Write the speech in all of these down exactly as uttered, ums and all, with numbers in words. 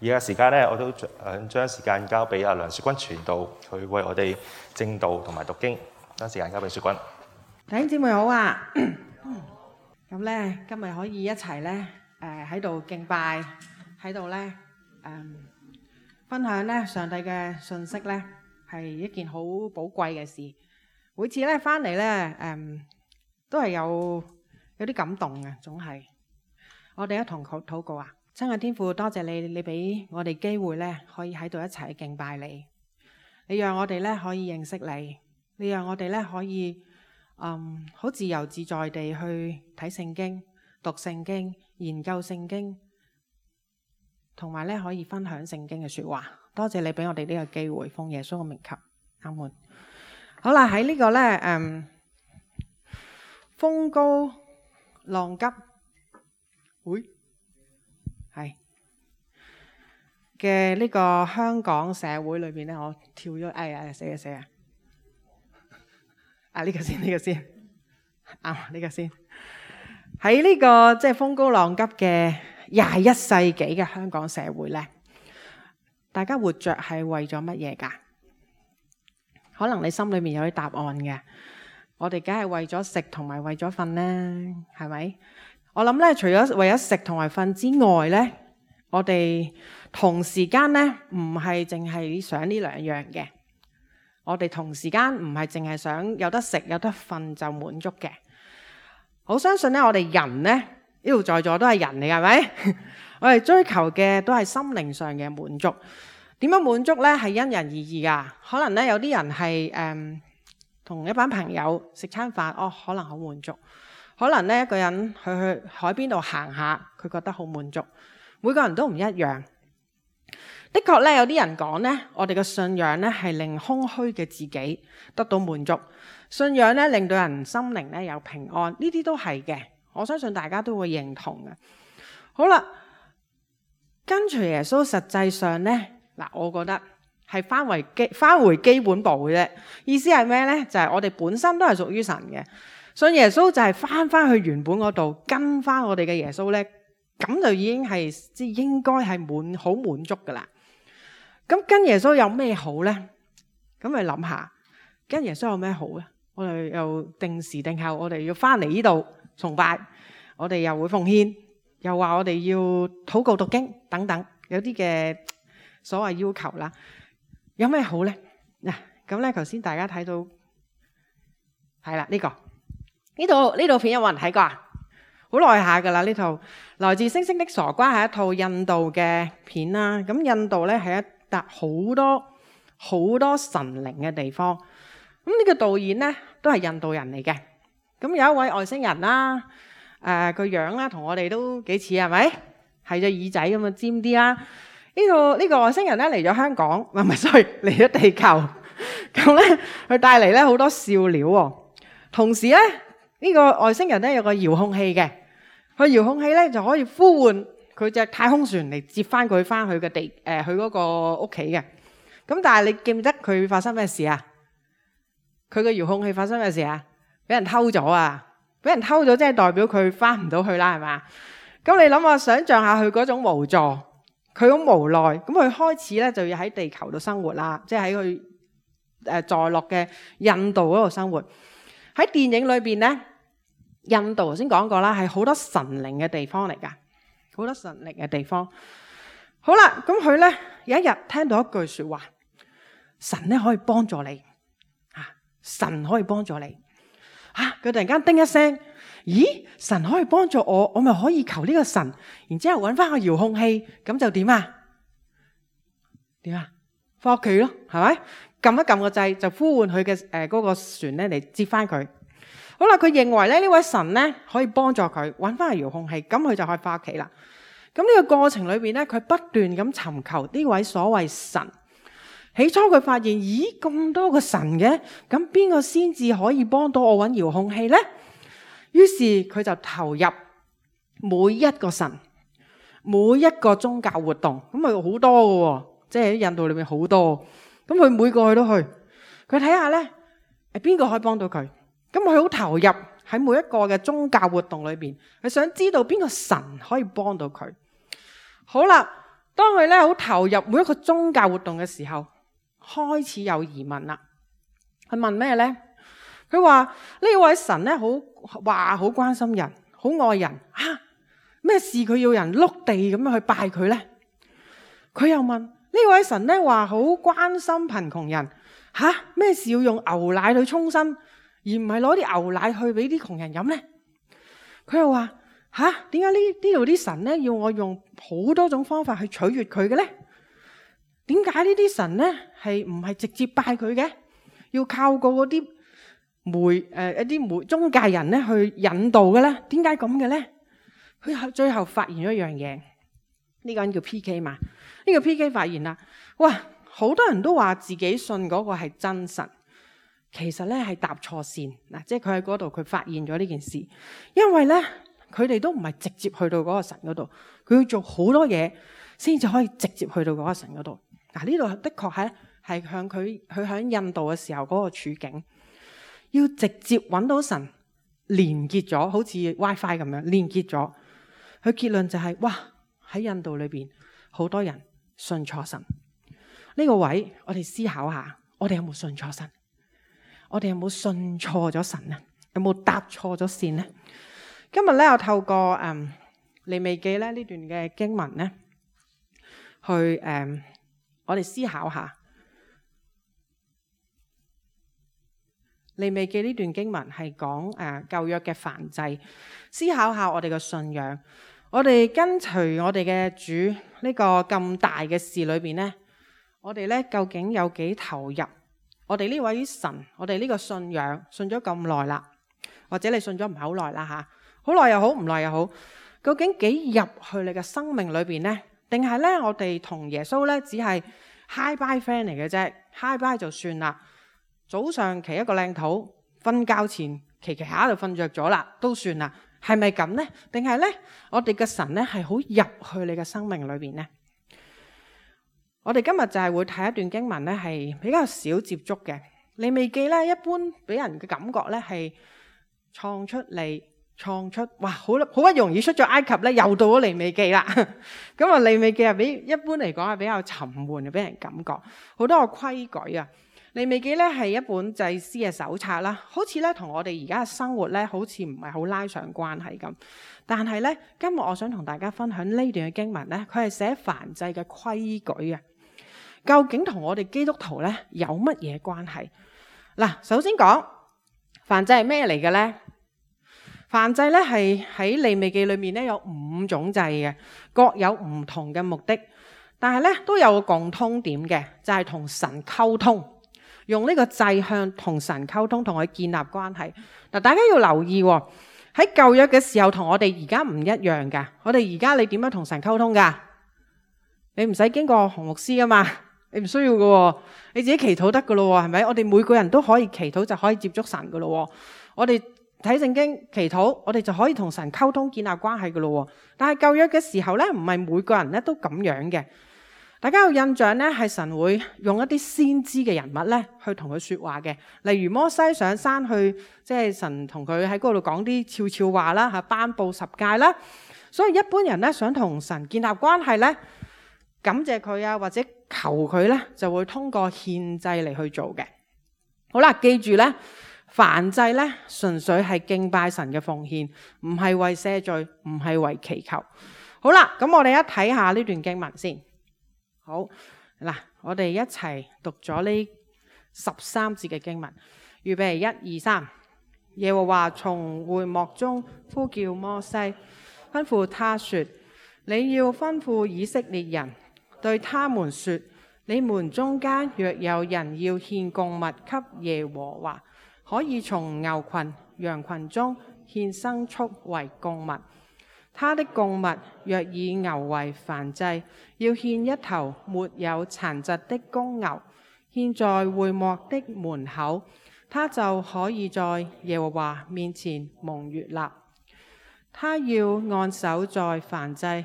而家時間咧，我都想將時間交俾阿梁雪君傳道，佢為我哋證道同埋讀經。將時間交俾雪君。弟兄姊妹好啊！咁咧，今日可以一齊咧，誒喺度敬拜，喺度咧，誒分享咧上帝嘅信息咧，係一件好寶貴嘅事。每次咧翻嚟咧，誒都係有有啲感動嘅，總係。我哋一同禱禱告啊！親愛天父，多謝你，你俾我哋機會咧，可以喺度一齊敬拜你。你讓我哋咧可以認識你，你讓我哋咧可以嗯好自由自在地去睇聖經、讀聖經、研究聖經，同埋咧可以分享聖經嘅說話。多謝你俾我哋呢個機會，奉耶穌嘅名求，阿門。好啦，喺呢個咧，嗯，風高浪急，會係嘅呢個香港社會裏邊咧，我跳咗，哎呀，死啊死啊！啊呢個先，呢個先，啊呢個先。喺呢個即係風高浪急嘅廿一世紀嘅香港社會咧，大家活着係為咗乜嘢㗎？可能你心裏面有啲答案嘅。我哋梗係為咗食同埋為咗瞓啦，係咪？我諗咧，除咗為咗食同埋瞓之外咧，我哋同時間咧唔係淨係想呢兩樣嘅。我哋同時間唔係淨係想有得食有得瞓就滿足嘅。我相信咧，我哋人咧呢度在座都係人嚟，係咪？我哋追求嘅都係心靈上嘅滿足。點樣滿足咧？係因人而異噶。可能咧有啲人係誒同一班朋友食餐飯，哦，可能好滿足。可能咧一個人去去海邊度行下，佢覺得好滿足。每個人都唔一樣。的確咧，有啲人講咧，我哋嘅信仰咧係令空虛嘅自己得到滿足。信仰咧令到人心靈咧有平安，呢啲都係嘅。我相信大家都會認同嘅。好啦，跟隨耶穌實際上咧，嗱，我覺得係翻回基翻回基本步嘅啫。意思係咩咧？就係我哋本身都係屬於神嘅。信耶穌就係翻翻去原本嗰度，跟翻我哋嘅耶穌咧，咁就已經係即係應該係滿好滿足噶啦。咁跟耶穌有咩好咧？咁咪諗下，跟耶穌有咩好咧？我哋又定時定候，我哋要翻嚟呢度崇拜，我哋又會奉獻，又話我哋要禱告讀經等等，有啲嘅所謂要求啦。有咩好咧？嗱，咁咧頭先大家睇到係啦，呢個。呢套呢套片有冇人睇過啊？好耐下噶啦，呢套來自星星的傻瓜係一套印度嘅片啦。咁印度咧係一笪好多好多神靈嘅地方。咁呢個導演咧都係印度人嚟嘅。咁有一位外星人啦，誒個樣啦同我哋都幾似，係咪？係隻耳仔咁啊尖啲啦。呢個呢個外星人咧嚟咗香港，唔係唔係，sorry，嚟咗地球。咁咧佢帶嚟咧好多笑料喎。同時咧。呢個外星人咧有個遙控器嘅，佢遙控器咧就可以呼喚佢隻太空船嚟接翻佢翻去嘅地誒，去嗰個屋企嘅。咁但係你記唔記得佢發生咩事啊？佢個遙控器發生咩事啊？俾人偷咗啊！俾人偷咗即係代表佢翻唔到去啦，係嘛？咁你諗下，想像下佢嗰種無助，佢好無奈。咁佢開始咧就要喺地球度生活啦，即係喺佢誒在落嘅印度嗰度生活。喺電影裏邊咧。印度頭先講過啦，係好多神靈嘅地方嚟噶，好多神靈嘅地方。好啦，咁佢咧有一日聽到一句說話，神咧可以幫助你，啊，神可以幫助你，啊，佢突然間叮一聲，咦，神可以幫助我，我咪可以求呢個神，然之後搵翻個遙控器，咁就點啊？點啊？翻屋企咯，係咪？撳一撳個掣就呼喚佢嘅誒嗰個船咧嚟接翻佢。好啦，佢認為咧呢位神咧可以幫助佢揾翻個遙控器，咁佢就可以翻屋企啦。咁呢個過程裏邊咧，佢不斷咁尋求呢位所謂神。起初佢發現，咦，咁多個神嘅，咁邊個先至可以幫到我揾遙控器咧？於是佢就投入每一個神，每一個宗教活動，咁咪好多嘅，即係喺印度裏面好多。咁佢每個去都去，佢睇下咧，誒邊個可以幫到佢？咁佢好投入喺每一個嘅宗教活動裏邊，佢想知道邊個神可以幫到佢。好啦，當佢咧好投入每一個宗教活動嘅時候，開始有疑問啦。佢問咩呢？佢話呢位神咧好話好關心人，好愛人啊，咩事佢要人碌地咁樣去拜佢呢？佢又問呢位神咧話好關心貧窮人，吓咩事要用牛奶去沖身，而唔係攞啲牛奶去俾啲窮人飲呢？佢又話吓點解呢呢度啲神咧要我用好多種方法去取悦佢嘅呢？點解呢啲神咧係唔係直接拜佢嘅？要靠過嗰啲媒誒一啲媒中介人咧去引導嘅咧？點解咁嘅咧？佢最後發現咗一樣嘢，呢個人叫 P K 嘛？呢個 P K 發現啦，哇！好多人都話自己信嗰個係真神，其實咧係搭錯線嗱，即係佢喺嗰度佢發現咗呢件事，因為咧佢哋都唔係直接去到嗰個神嗰度，佢要做好多嘢先至可以直接去到嗰個神嗰度。嗱，呢度的確係係向佢佢喺印度嘅時候嗰個處境，要直接揾到神連結咗，好似 WiFi 咁樣連結咗。佢結論就係、是、哇，喺印度裏邊好多人信錯神。呢個位我哋思考下，我哋有冇信錯神？我哋有冇信錯咗神啊？有冇搭錯咗線呢？今日咧我透過誒利未記咧呢段嘅經文咧，去誒、嗯、我哋思考下利未記呢段經文係講誒舊約嘅燔祭，思考下我哋嘅信仰，我哋跟隨我哋嘅主呢個咁大嘅事裏邊咧。我哋咧究竟有幾投入？我哋呢位神，我哋呢個信仰信咗咁耐啦，或者你信咗唔係好耐啦吓，好耐又好，唔耐又好，究竟幾入去你嘅生命裏邊呢？定係咧我哋同耶穌咧只係 hi bye friend 嚟嘅啫 ，hi bye 就算啦。早上祈一個靚禱，瞓覺前祈祈下就瞓着咗啦，都算啦。係咪咁呢？定係咧我哋嘅神咧係好入去你嘅生命裏邊呢？我哋今日就係會睇一段經文咧，係比較少接觸嘅。利未記咧，一般俾人嘅感覺咧係創出嚟，創出哇，好好不容易出咗埃及咧，又到咗利未記啦。咁啊，利未記啊，比一般嚟講係比較沉悶嘅，俾人感覺好多個規矩啊。利未記咧係一本祭司嘅手冊啦，好似咧同我哋而家嘅生活咧，好似唔係好拉上關係咁。但係咧，今日我想同大家分享呢段嘅經文咧，佢係寫燔祭嘅規矩啊。究竟同我哋基督徒咧有乜嘢關係？嗱，首先講燔祭係咩嚟嘅咧？燔祭咧係喺利未記裏面咧有五種祭嘅，各有唔同嘅目的，但係咧都有個共通點嘅，就係同神溝通，用呢個祭向同神溝通，同佢建立關係。嗱，大家要留意喎，喺舊約嘅時候同我哋而家唔一樣噶。我哋而家你點樣同神溝通噶？你唔使經過紅牧師噶嘛？你唔需要嘅，你自己祈禱得嘅咯，係咪？我哋每個人都可以祈禱，就可以接觸神嘅咯。我哋睇聖經祈禱，我哋就可以同神溝通建立關係嘅咯。但係舊約嘅時候咧，唔係每個人咧都咁樣嘅。大家有印象咧，係神會用一啲先知嘅人物咧去同佢說話嘅，例如摩西上山去，即係神同佢喺嗰度講啲悄悄話啦，吓頒布十誡啦。所以一般人咧想同神建立關係咧，感謝佢啊，或者求佢咧，就會通過獻祭嚟去做嘅。好啦，記住咧，燔祭咧純粹係敬拜神嘅奉獻，唔係為赦罪，唔係為祈求。好啦，咁我哋一睇下呢段經文先。好嗱，我哋一齊讀咗呢十三節嘅經文，預備一二三。耶和華從會幕中呼叫摩西，吩咐他說：你要吩咐以色列人，對他們說，你們中間若有人要獻供物給耶和華，可以從牛群、羊群中獻牲畜為供物。他的供物若以牛為燔祭，要獻一頭沒有殘疾的公牛，獻在會幕的門口，他就可以在耶和華面前蒙悅納。他要按手在燔祭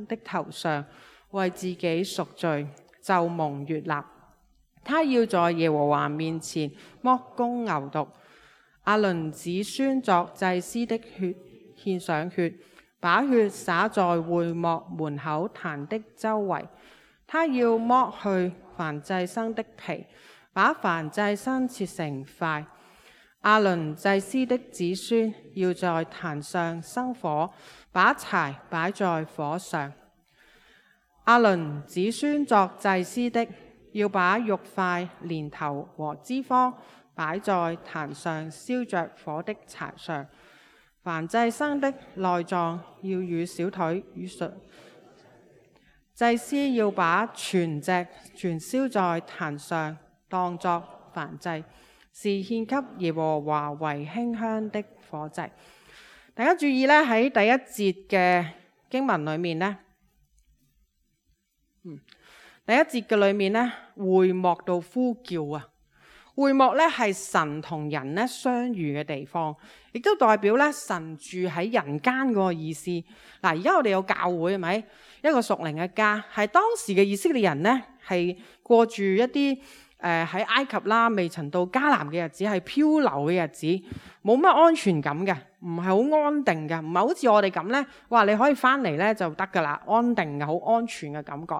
的頭上，為自己贖罪，就蒙悅納。他要在耶和華面前剝公牛犢，亞倫子孫作祭司的血獻上血，把血灑在會幕門口壇的周圍。他要剝去燔祭牲的皮，把燔祭牲切成塊。亞倫祭司的子孫要在壇上生火，把柴擺在火上。亞倫子孫作祭司的，要把肉塊、連頭和脂肪擺在壇上燒着火的柴上。燔祭牲的內臟要與小腿與術。祭司要把全隻全燒在壇上，當作燔祭，是獻給耶和華為馨香的火祭。大家注意咧，喺第一節嘅經文裏面咧，嗯，第一節嘅裏面咧，會幕度呼叫啊，會幕咧係神同人咧相遇嘅地方，亦都代表咧神住喺人間嗰個意思。嗱，而家我哋有教會係咪？一個屬靈嘅家，係當時嘅以色列人咧，係過住一啲誒喺埃及啦，未曾到迦南嘅日子，係漂流嘅日子，冇乜安全感嘅，唔係好安定嘅，唔係好似我哋咁咧，哇！你可以翻嚟咧就得噶啦，安定嘅，好安全嘅感覺。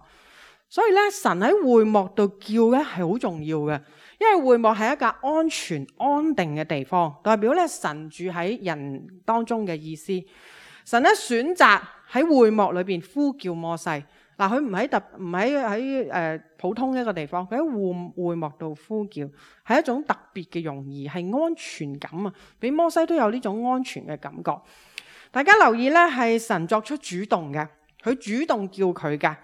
所以咧，神喺會幕度叫咧係好重要嘅，因為會幕係一個安全安定嘅地方，代表咧神住喺人當中嘅意思。神咧選擇喺會幕裏邊呼叫摩西，嗱，佢唔喺特唔喺喺誒普通一個地方，佢喺會會幕度呼叫，係一種特別嘅容易，係安全感啊！俾摩西都有呢種安全嘅感覺。大家留意咧，係神作出主動嘅，佢主動叫佢嘅，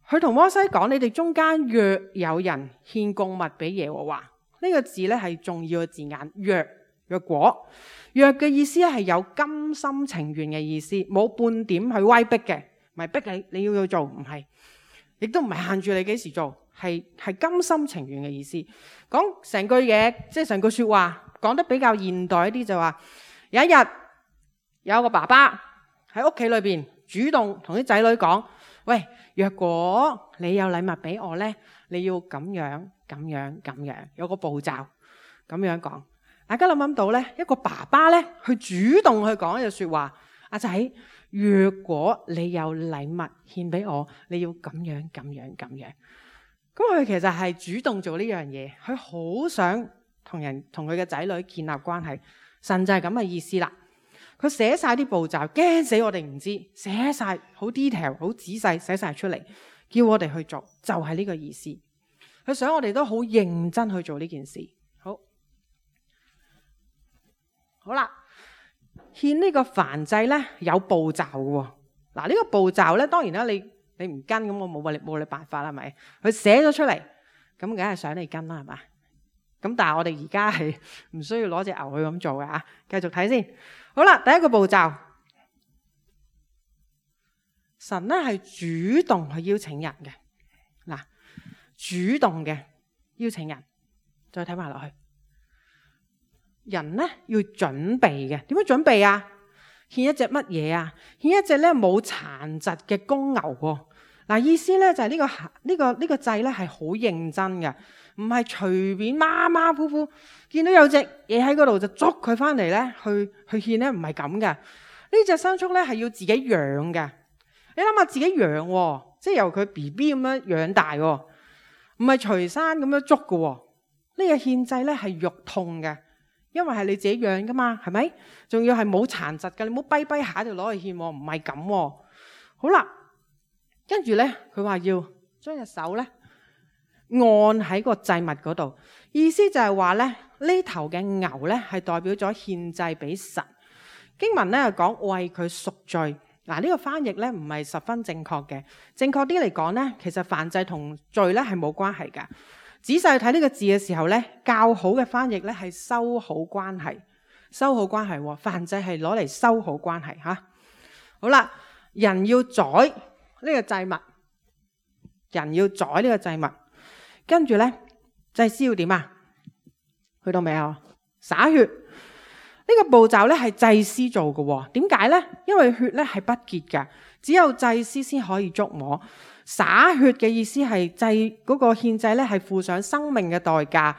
佢同摩西講：你哋中間若有人獻供物俾耶和華，呢個字咧係重要嘅字眼，若若果。若嘅意思係有甘心情願嘅意思，冇半點去威逼嘅，唔係逼你你要去做，唔係，亦都唔係限住你幾時做，係係甘心情願嘅意思。講成句嘢，即係成句說話，講得比較現代一啲就話，有一日有個爸爸喺屋企裏邊主動同啲仔女講：喂，若果你有禮物俾我呢，你要咁樣咁樣咁樣，有個步驟咁樣講。大家諗唔諗到咧？一個爸爸咧，去主動去講一句說話：阿仔，若果你有禮物獻俾我，你要咁樣咁樣咁樣。咁佢其實係主動做呢樣嘢，佢好想同人同佢嘅仔女建立關係。神就係咁嘅意思啦。佢寫晒啲步驟，驚死我哋唔知，寫晒好 detail、好仔細寫晒出嚟，叫我哋去做，就係呢個意思。佢想我哋都好認真去做呢件事。好啦，獻呢個燔祭咧有步驟嘅喎。嗱，呢個步驟咧，當然啦，你你唔跟咁，我冇你冇你辦法啦，係咪？佢寫咗出嚟，咁梗係想你跟啦，係嘛？咁但係我哋而家係唔需要攞隻牛去咁做嘅嚇。繼續睇先。好啦，第一個步驟，神咧係主動去邀請人嘅。嗱，主動嘅邀請人，再睇埋落去。人咧要準備嘅，點樣準備啊？獻一隻乜嘢啊？獻一隻咧冇殘疾嘅公牛喎。嗱，意思咧就係呢個呢個呢個祭咧係好認真嘅，唔係隨便馬馬虎虎見到有隻嘢喺嗰度就捉佢翻嚟咧去去獻咧，唔係咁嘅。呢隻牲畜咧係要自己養嘅。你諗下自己養喎，即係由佢 B B 咁樣養大喎，唔係隨山咁樣捉嘅喎。呢個獻祭咧係肉痛嘅。因為係你自己養噶嘛，係咪？仲要係冇殘疾嘅，你唔好跛跛下就攞去獻，唔係咁。好啦，跟住咧，佢話要將隻手咧按喺個祭物嗰度，意思就係話咧呢頭嘅牛咧係代表咗獻祭俾神。經文咧講為佢贖罪，嗱、這、呢個翻譯咧唔係十分正確嘅，正確啲嚟講咧，其實燔祭同罪咧係冇關係噶。仔細睇呢個字嘅時候呢，較好嘅翻譯呢係修好關係，修好關係，燔祭係攞嚟修好關係吓。好啦，人要宰呢個祭物，人要宰呢個祭物，跟住呢，祭司要點啊？去到未啊？灑血呢個步驟呢係祭司做嘅，點解呢？因為血呢係不潔嘅，只有祭司先可以觸摸。灑血嘅意思係祭嗰個獻祭咧，係付上生命嘅代價。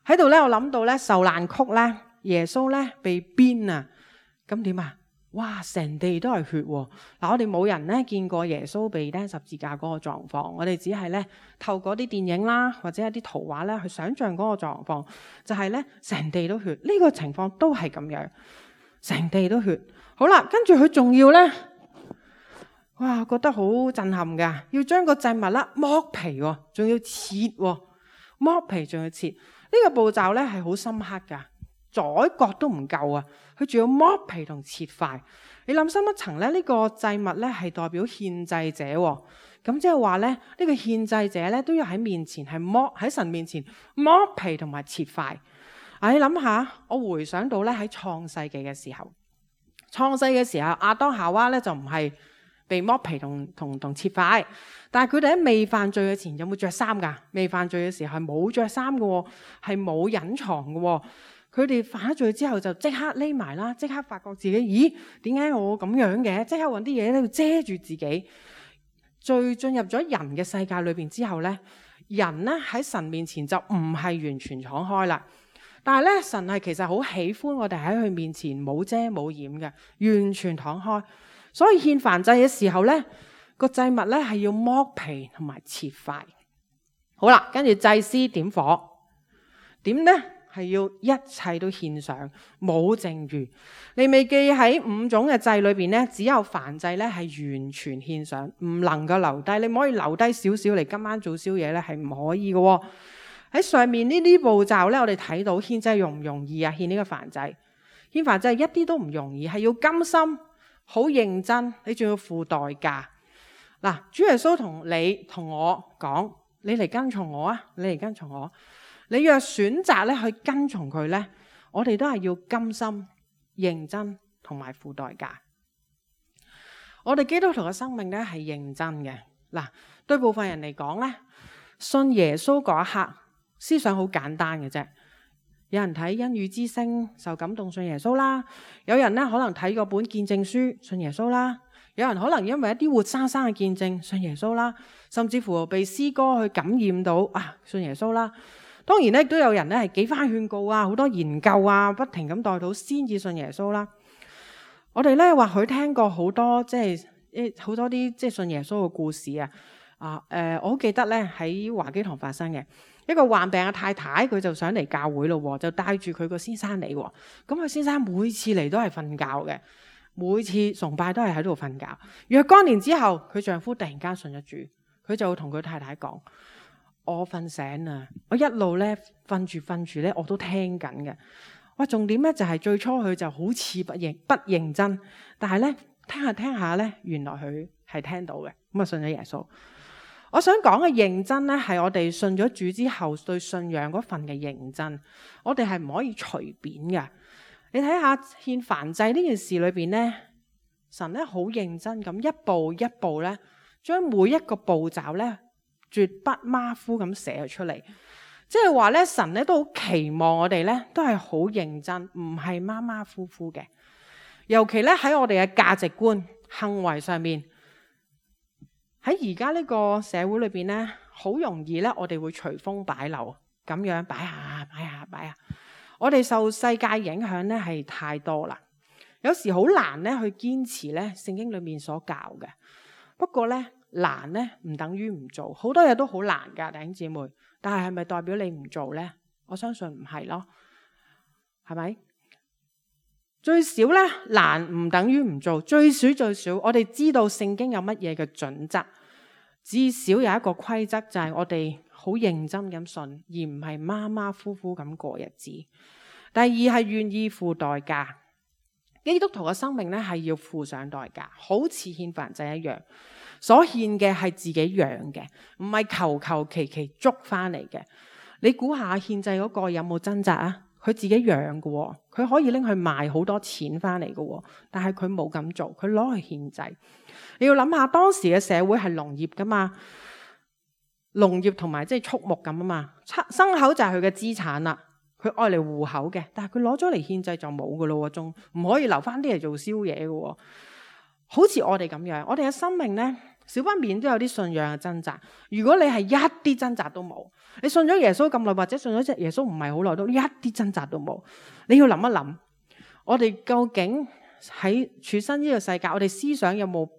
喺度咧，我諗到咧受難曲咧，耶穌咧被鞭啊，咁點啊？哇！成地都係血喎。嗱，我哋冇人咧見過耶穌被釘十字架嗰個狀況，我哋只係咧透過啲電影啦，或者一啲圖畫咧去想像嗰個狀況，就係咧成地都血。呢個情況都係咁樣，成地都血。好啦，跟住佢仲要咧，哇！覺得好震撼㗎，要將個祭物啦剝皮喎，仲要切喎，剝皮仲要切。呢個步驟咧係好深刻㗎。宰割都唔夠啊！佢仲要剝皮同切塊。你諗深一層咧，呢個祭物咧係代表獻祭者喎。咁即係話咧，呢個獻祭者咧都要喺面前係剝喺神面前剝皮同埋切塊。啊！你諗下，我回想到咧喺創世記嘅時候，創世嘅時候亞當夏娃咧就唔係被剝皮同同同切塊，但係佢哋喺未犯罪嘅前有冇着衫㗎？未犯罪嘅時候係冇着衫嘅喎，係冇隱藏嘅喎。佢哋犯咗罪之後就即刻匿埋啦，即刻發覺自己，咦？點解我咁樣嘅？即刻揾啲嘢咧遮住自己。罪進入咗人嘅世界裏邊之後咧，人咧喺神面前就唔係完全敞開啦。但係咧，神係其實好喜歡我哋喺佢面前冇遮冇掩嘅，完全敞開。所以獻燔祭嘅時候咧，個祭物咧係要剝皮同埋切塊。好啦，跟住祭司點火，點咧？係要一切都獻上，冇剩餘。利未記喺五種嘅祭裏邊咧，只有燔祭咧係完全獻上，唔能夠留低。你唔可以留低少少嚟今晚做宵夜咧，係唔可以嘅。喺上面呢啲步驟咧，我哋睇到獻祭容唔容易啊？獻呢個燔祭，獻燔祭一啲都唔容易，係要甘心，好認真，你仲要付代價。嗱，主耶穌同你同我講，你嚟跟從我啊！你嚟跟從我。你若選擇咧去跟從佢咧，我哋都係要甘心、認真同埋付代價。我哋基督徒嘅生命咧係認真嘅。嗱，對部分人嚟講咧，信耶穌嗰一刻，思想好簡單嘅啫。有人睇恩雨之聲受感動信耶穌啦，有人咧可能睇過本見證書信耶穌啦，有人可能因為一啲活生生嘅見證信耶穌啦，甚至乎被詩歌去感染到啊信耶穌啦。當然咧，亦都有人咧係幾番勸告啊，好多研究啊，不停咁代禱先至信耶穌啦。我哋咧或許聽過好多即係誒好多啲即係信耶穌嘅故事啊。啊誒、呃，我好記得咧喺華基堂發生嘅一個患病嘅太太，佢就想嚟教會咯，就帶住佢個先生嚟。咁佢先生每次嚟都係瞓覺嘅，每次崇拜都係喺度瞓覺。若干年之後，佢丈夫突然間信咗主，佢就會同佢太太講。我瞓醒啦，我一路咧瞓住瞓住咧，我都聽緊嘅。哇，重點咧就係最初佢就好似不認不認真，但係咧聽下聽下咧，原來佢係聽到嘅，咁啊信咗耶穌。我想講嘅認真咧，係我哋信咗主之後對信仰嗰份嘅認真，我哋係唔可以隨便嘅。你睇下獻燔祭呢件事裏邊咧，神咧好認真咁一步一步咧，將每一個步驟咧。絕不馬虎咁寫出嚟，即係話咧，神咧都好期望我哋咧都係好認真，唔係馬馬虎虎嘅。尤其咧喺我哋嘅價值觀、行為上面，喺而家呢個社會裏邊咧，好容易咧，我哋會隨風擺漏，咁樣擺下擺下擺下。我哋受世界影響咧係太多啦，有時好難咧去堅持咧聖經裏面所教嘅。不過咧。難咧唔等於唔做，好多嘢都好難噶，弟兄姊妹。但係係咪代表你唔做呢？我相信唔係咯，係咪？最少咧難唔等於唔做，最少最少，我哋知道聖經有乜嘢嘅準則，至少有一個規則就係我哋好認真咁信，而唔係馬馬虎虎咁過日子。第二係願意付代價，基督徒嘅生命咧係要付上代價，好似獻燔祭一樣。所獻嘅係自己養嘅，唔係求求其其捉翻嚟嘅。你估下獻祭嗰個有冇掙扎啊？佢自己養嘅，佢可以拎去賣好多錢翻嚟嘅，但係佢冇咁做，佢攞去獻祭。你要諗下當時嘅社會係農業噶嘛，農業同埋即係畜牧咁啊嘛，牲口就係佢嘅資產啦，佢愛嚟糊口嘅，但係佢攞咗嚟獻祭就冇噶咯，仲唔可以留翻啲嚟做宵夜嘅。好似我哋咁樣，我哋嘅生命呢，少不免都有啲信仰嘅掙扎。如果你係一啲掙扎都冇，你信咗耶穌咁耐，或者信咗耶穌唔係好耐，都一啲掙扎都冇，你要諗一諗，我哋究竟喺處身呢個世界，我哋思想有冇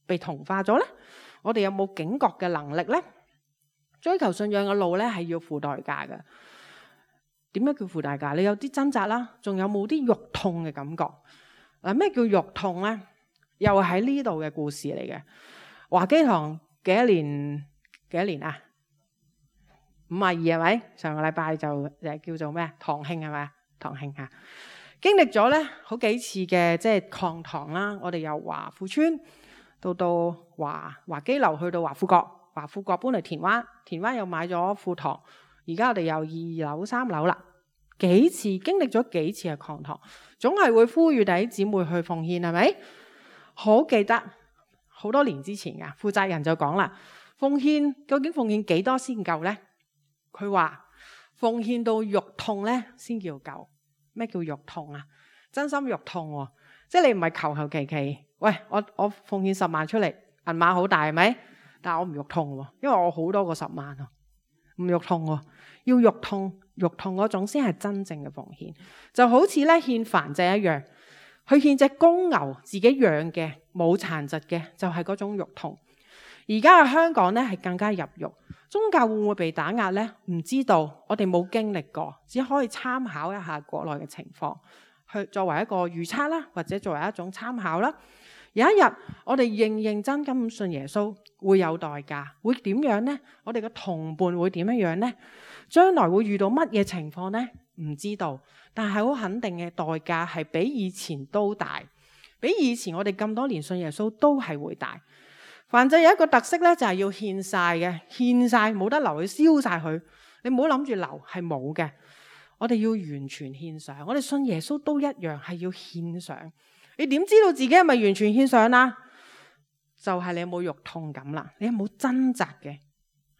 被同化咗呢？我哋有冇警覺嘅能力呢？追求信仰嘅路呢，係要付代價嘅。點解叫付代價？你有啲掙扎啦，仲有冇啲肉痛嘅感覺？嗱，咩叫肉痛呢？又喺呢度嘅故事嚟嘅。華基堂幾多年？幾多年啊？五十二係咪？上個禮拜就誒叫做咩？堂慶係咪？堂慶嚇，經歷咗咧好幾次嘅即係擴堂啦。我哋由華富村到到華華基樓，去到華富閣，華富閣搬嚟田灣，田灣又買咗副堂。而家我哋由二樓三樓啦，幾次經歷咗幾次嘅擴堂，總係會呼籲弟兄姊妹去奉獻，係咪？好記得好多年之前㗎，負責人就講啦，奉獻究竟奉獻幾多先夠呢？佢話奉獻到肉痛咧先叫夠。咩叫肉痛啊？真心肉痛喎、哦，即係你唔係求求其其，喂，我我奉獻十萬出嚟，銀碼好大係咪？但係我唔肉痛喎，因為我好多個十萬啊，唔肉痛喎，要肉痛，肉痛嗰種先係真正嘅奉獻。就好似咧獻燔祭一樣，去獻隻公牛，自己養嘅，冇殘疾嘅，就係、是、嗰種肉痛。而家嘅香港咧係更加入肉，宗教會唔會被打壓呢？唔知道，我哋冇經歷過，只可以參考一下國內嘅情況，去作為一個預測啦，或者作為一種參考啦。有一日我哋認認真咁信耶穌，會有代價，會點樣呢？我哋嘅同伴會點樣呢？將來會遇到乜嘢情況呢？唔知道，但係好肯定嘅代價係比以前都大，比以前我哋咁多年信耶穌都係會大。燔祭有一個特色咧，就係要獻晒嘅，獻晒冇得留，去燒晒佢。你唔好諗住留，係冇嘅。我哋要完全獻上，我哋信耶穌都一樣係要獻上。你點知道自己係咪完全獻上啦？就係你有冇肉痛感啦，你有冇掙扎嘅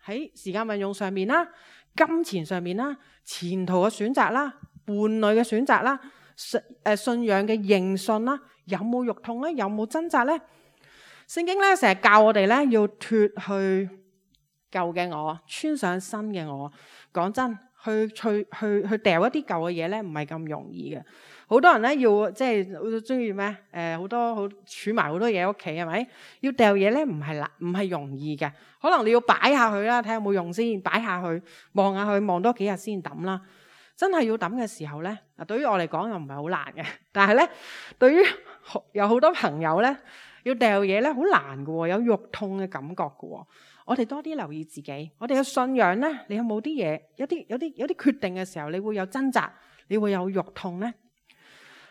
喺時間運用上面啦、金錢上面啦、前途嘅選擇啦、伴侶嘅選擇啦、信誒信仰嘅認信啦，有冇肉痛咧？有冇掙扎咧？聖經咧成日教我哋咧要脫去舊嘅我，穿上新嘅我。講真，去去去去掉一啲舊嘅嘢咧，唔係咁容易嘅。好多人咧要即係好中意咩？誒，好多好儲埋好多嘢喺屋企，係咪？要掉嘢咧，唔係難，唔係容易嘅。可能你要擺下佢啦，睇下有冇用先，擺下去，望下佢，望多幾日先抌啦。真係要抌嘅時候咧，嗱，對於我嚟講又唔係好難嘅，但係咧，對於有好多朋友咧。要掉嘢咧，好難嘅，有肉痛嘅感覺嘅。我哋多啲留意自己，我哋嘅信仰咧，你有冇啲嘢？有啲有啲有啲決定嘅時候，你會有掙扎，你會有肉痛咧。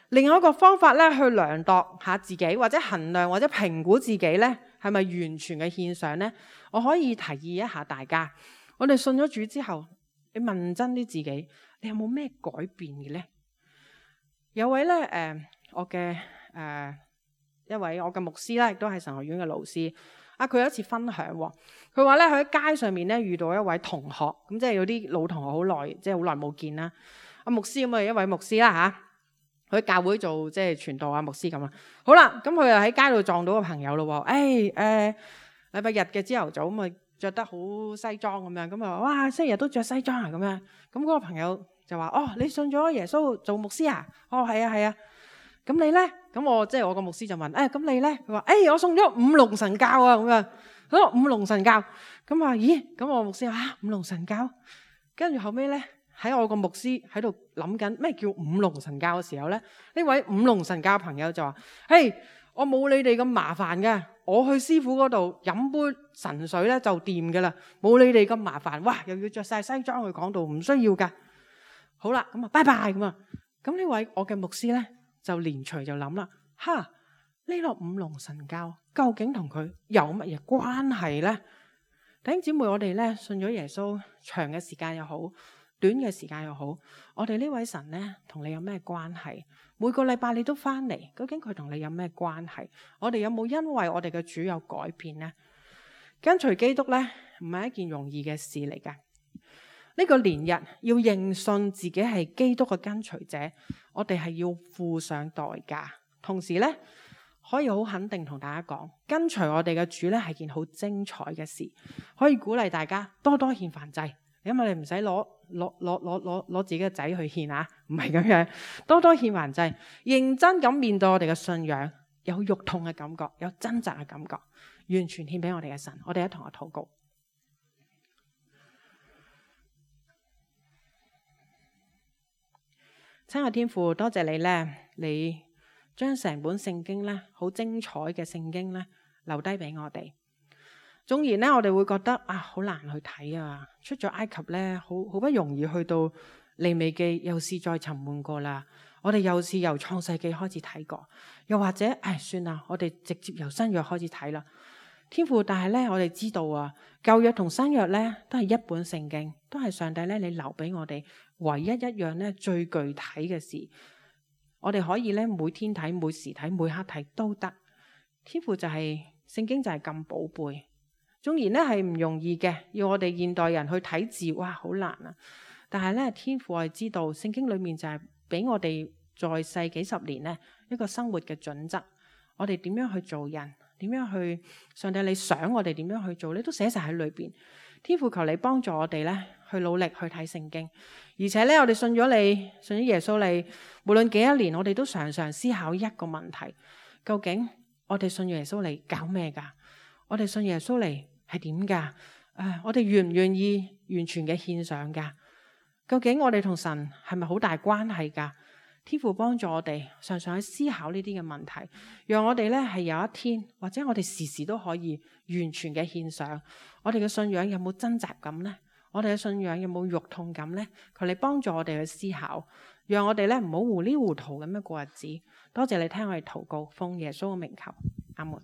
另外一個方法咧，去量度下自己，或者衡量或者評估自己咧，係咪完全嘅獻上咧？我可以提議一下大家，我哋信咗主之後，你問真啲自己，你有冇咩改變嘅咧？有位咧，誒、呃，我嘅誒。呃一位我嘅牧師啦，亦都係神學院嘅老師。啊，佢有一次分享，佢話咧佢喺街上面咧遇到一位同學，咁即係有啲老同學好耐，即係好耐冇見啦。阿牧師咁啊，一位牧師啦吓，佢喺教會做即係傳道啊，牧師咁啊。好啦，咁佢又喺街度撞到個朋友咯。誒、哎，誒、呃，禮拜日嘅朝頭早咁啊，着得好西裝咁樣，咁啊，哇，星期日都着西裝啊咁樣。咁嗰個朋友就話：哦，你信咗耶穌做牧師啊？哦，係啊，係啊。咁你咧？咁我即係我個牧師就問：誒、哎，咁你咧？佢話：誒、哎，我送咗五龍神教啊！咁樣，咁五龍神教。咁話：咦？咁我牧師話：啊，五龍神教。跟住後尾咧，喺我個牧師喺度諗緊咩叫五龍神教嘅時候咧，呢位五龍神教朋友就話：嘿，我冇你哋咁麻煩嘅，我去師傅嗰度飲杯神水咧就掂噶啦，冇你哋咁麻煩。哇，又要着晒西裝去講道，唔需要噶。好啦，咁啊，拜拜咁啊。咁呢位我嘅牧師咧，就連隨就諗啦，哈，呢個五龍神教究竟同佢有乜嘢關係呢？弟兄姊妹，我哋咧信咗耶穌，長嘅時間又好，短嘅時間又好，我哋呢位神咧同你有咩關係？每個禮拜你都翻嚟，究竟佢同你有咩關係？我哋有冇因為我哋嘅主有改變呢？跟隨基督咧唔係一件容易嘅事嚟噶。呢個年日要認信自己係基督嘅跟隨者，我哋係要付上代價。同時咧，可以好肯定同大家講，跟隨我哋嘅主咧係件好精彩嘅事，可以鼓勵大家多多獻燔祭，因為你唔使攞攞攞攞攞攞自己嘅仔去獻啊，唔係咁樣，多多獻還祭，認真咁面對我哋嘅信仰，有肉痛嘅感覺，有掙扎嘅感覺，完全獻俾我哋嘅神。我哋一同去禱告。親愛天父，多謝你呢，你將成本聖經呢，好精彩嘅聖經呢，留低俾我哋。縱然呢，我哋會覺得啊，好難去睇啊，出咗埃及呢，好好不容易去到利未記，又是再沉悶過啦。我哋又是由創世記開始睇過，又或者唉，算啦，我哋直接由新約開始睇啦。天父，但係呢，我哋知道啊，舊約同新約呢，都係一本聖經，都係上帝呢，你留俾我哋唯一一樣呢，最具體嘅事，我哋可以呢，每天睇、每時睇、每刻睇都得。天父就係、是、聖經就係咁寶貝，縱然呢係唔容易嘅，要我哋現代人去睇字，哇，好難啊！但係呢，天父我係知道聖經裏面就係俾我哋在世幾十年呢一個生活嘅準則，我哋點樣去做人？點樣去？上帝你想我哋點樣去做？你都寫晒喺裏邊。天父求你幫助我哋咧，去努力去睇聖經。而且咧，我哋信咗你，信咗耶穌你，無論幾多年，我哋都常常思考一個問題：究竟我哋信耶穌嚟搞咩噶？我哋信耶穌嚟係點噶？誒，我哋願唔願意完全嘅獻上噶？究竟我哋同神係咪好大關係噶？天父幫助我哋常常去思考呢啲嘅問題，讓我哋咧係有一天，或者我哋時時都可以完全嘅獻上。我哋嘅信仰有冇掙扎感呢？我哋嘅信仰有冇肉痛感呢？求你幫助我哋去思考，讓我哋咧唔好糊裡糊塗咁樣過日子。多謝你聽我哋禱告，奉耶穌嘅名求，阿門。